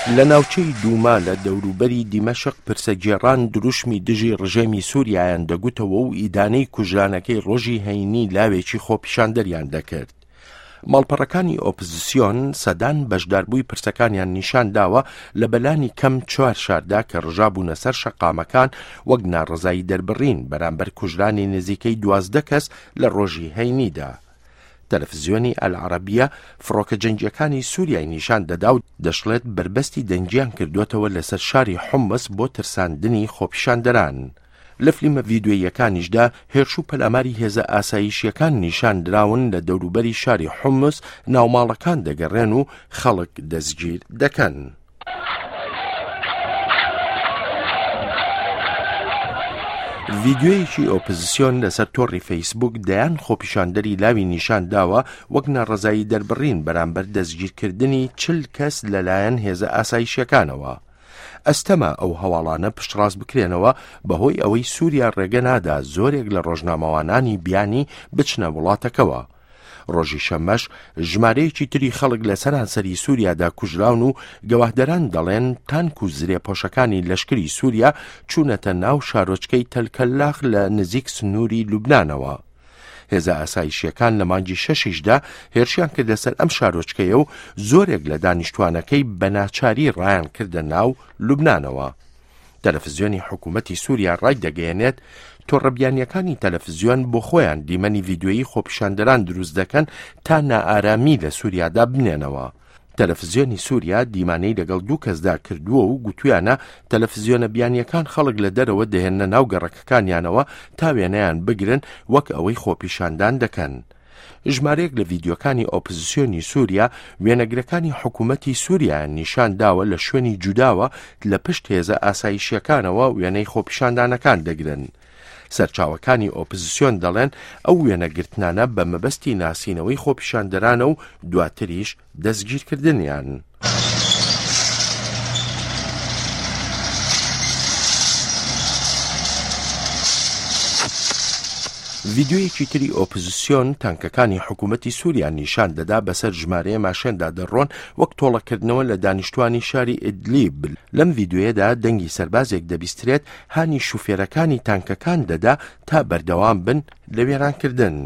لە ناوچەی دوما لە دەوروبەری دیمەشق پرسەگێڕان دروشمی دژی ڕژێمی سووریایان دەگوتەوە و ئیدانەی کوژرانەکەی ڕۆژی هەینی لاوێکی خۆپیشاندەریان دەکرد. ماڵپەڕەکانی ئۆپزسیۆن سەدان بەشداربووی پرسەکانیان نیشان داوە لە بەلانی کەم چوار شاردا کە ڕژابوونە سەر شەقامەکان وەک ناڕەزایی دەربڕین بەرامبەر کوژرانی نزیکەی 12 کەس لە ڕۆژی هەینیدا. تەلەفزیۆنی ئەلعەرەبیە فڕۆکە جەنگییەکانی سوریای نیشان دەدا و دەشڵێت بەربەستی دەنگیان کردووەتەوە لەسەر شاری حومس بۆ ترساندنی خۆپیشاندەران. لە فلیمە ڤیدیۆییەکانیشدا هێرش و پەلاماری هێزە ئاسایشییەکان نیشان دراون لە دەوروبەری شاری حومس ناوماڵەکان دەگەڕێن و خەڵک دەستگیر دەکەن. ڤیدیۆیەکی ئۆپزسیۆن لەسەر تۆڕی فەیسبوک دەیان خۆپیشاندەری لاوی نیشان داوە وەک ناڕەزایی دەربڕین بەرامبەر دەستگیرکردنی چل کەس لەلایەن هێزە ئاسایشیەکانەوە. ئەستەمە ئەو هەواڵانە پشتڕاست بکرێنەوە بەهۆی ئەوەی سووریا ڕێگە نادا زۆرێک لە ڕۆژنامەوانانی بیانی بچنە وڵاتەکەوە. ڕۆژی شەممەش ژمارەیەکی تری خەڵک لە سەرانسەری سووریادا کوژراون و گەواهدەران دەڵێن تانک و زرێپۆشەکانی لەشکری سووریا چوونەتە ناو شارۆچکەی تەلکەلاخ لە نزیک سنووری لوبنانەوە. هێزە ئاسایشیەکان لە مانگی شەشیشدا هێرشیان کردە سەر ئەم شارۆچکەیە و زۆرێک لە دانیشتوانەکەی بە ناچاری ڕایان کردە ناو لوبنانەوە. تەلەفزیۆنی حکوومەتی سووریا ڕایدەگەیەنێت، تۆڕە بیانییەکانی تەلەفزیۆن بۆ خۆیان دیمەنی ڤیدیۆیی خۆپیشاندەران دروست دەکەن تا نائارامی لە سووریادا بنێنەوە. تەلەفزیۆنی سووریا دیمانەی لەگەڵ دوو کەسدا کردووە و گوتویانە تەلەفزیۆنە بیانییەکان خەڵک لە دەرەوە دەهێننە ناو گەڕەکەکانیانەوە تا وێنەیان بگرن وەک ئەوەی خۆپیشاندان دەکەن. ژمارەیەک لە ڤیدیۆکانی ئۆپزسیۆنی سووریا وێنەگرەکانی حکوومەتی سووریایان نیشان داوە لە شوێنی جوداوە لە پشت هێزە ئاسایشیەکانەوە وێنەی خۆپیشاندانەکان دەگرن. سەرچاوەکانی ئۆپزسیۆن دەڵێن ئەو وێنەگرتنانە بە مەبەستی ناسینەوەی خۆپیشاندەرانە و دواتریش دەستگیرکردنیان. ڤیدیۆیەکی تری ئۆپزسیۆن تانکەکانی حکوومەتی سووریا نیشان دەدا بەسەر ژمارەیە ماشێندا دەڕۆن وەک تۆڵەکردنەوە لە دانیشتوانی شاری ئیدلیب. لەم ڤیدیۆیەدا دەنگی سەربازێک دەبیسترێت هانی شوفێرەکانی تانکەکان دەدا تا بەردەوام بن لە وێرانکردن.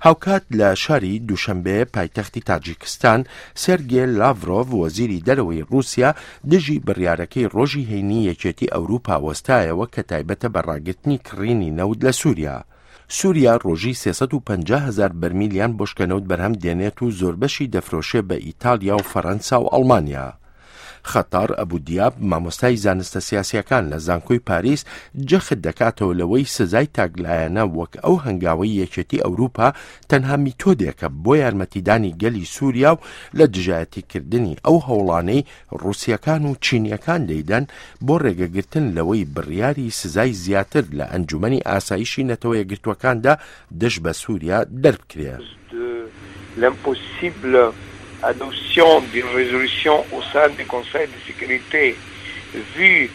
هاوکات لە شاری دوشەنبێ پایتەختی تاجیکستان، سێرگێ لاڤرۆڤ وەزیری دەرەوەی ڕووسیا دژی بڕیارەکەی ڕۆژی هەینی یەکێتی ئەوروپا وەستایەوە کە تایبەتە بە ڕاگرتنی کڕینی نەوت لە سووریا. سووریا ڕۆژی 350 هەزار بەرمیلیان بۆشکە نەوت بەرهەم دێنێت و زۆربەشی دەفرۆشێ بە ئیتاڵیا و فەرەنسا و ئەڵمانیا. خەتار ئەبو دیاب، مامۆستای زانستە سیاسییەکان لە زانکۆی پاریس، جەخت دەکاتەوە لەوەی سزای تاکلایەنە وەک ئەو هەنگاوەی یەکێتی ئەوروپا تەنها میتۆدێکە بۆ یارمەتیدانی گەلی سووریا و لە دژایەتیکردنی ئەو هەوڵانەی ڕووسییەکان و چینییەکان دەیدەن بۆ ڕێگەگرتن لەوەی بڕیاری سزای زیاتر لە ئەنجومەنی ئاسایشی نەتەوە یەکگرتووەکاندا دژ بە سووریا دەربکرێ. de l'impossible adoption d'une résolution au sein du Conseil de sécurité vu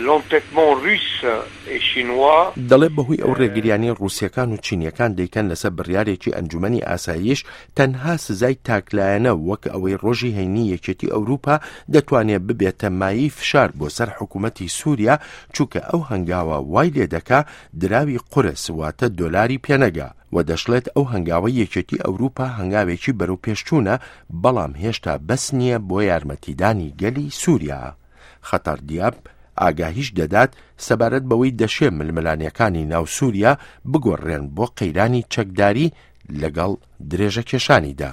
l'entêtement russe et chinois. دەڵێ بەهۆی ئەو ڕێگریانەی ڕووسییەکان و چینییەکان دەیکەن لەسەر بڕیارێکی ئەنجومەنی ئاسایش، تەنها سزای تاکلایەنە وەک ئەوەی ڕۆژی هەینی یەکێتی ئەوروپا دەتوانێ ببێتە مایەی فشار بۆ سەر حکومەتی سوریا، چونکە ئەو هەنگاوە وای لێدەکا دراوی قورس واتە دۆلاری پێنەگا. و دەشڵێت ئەو هەنگاوەی یەکێتی ئەوروپا هەنگاوێکی بەرەوپێشچوونە، بەڵام هێشتا بەس نییە بۆ یارمەتیدانی گەلی سوریا. خەتار دیاب ئاگاهیش دەدات سەبارەت بەوەی دەشێ ململانێکانی ناو سوریا بگۆڕرێن بۆ قەیرانی چەکداری لەگەڵ درێژەکێشانیدا.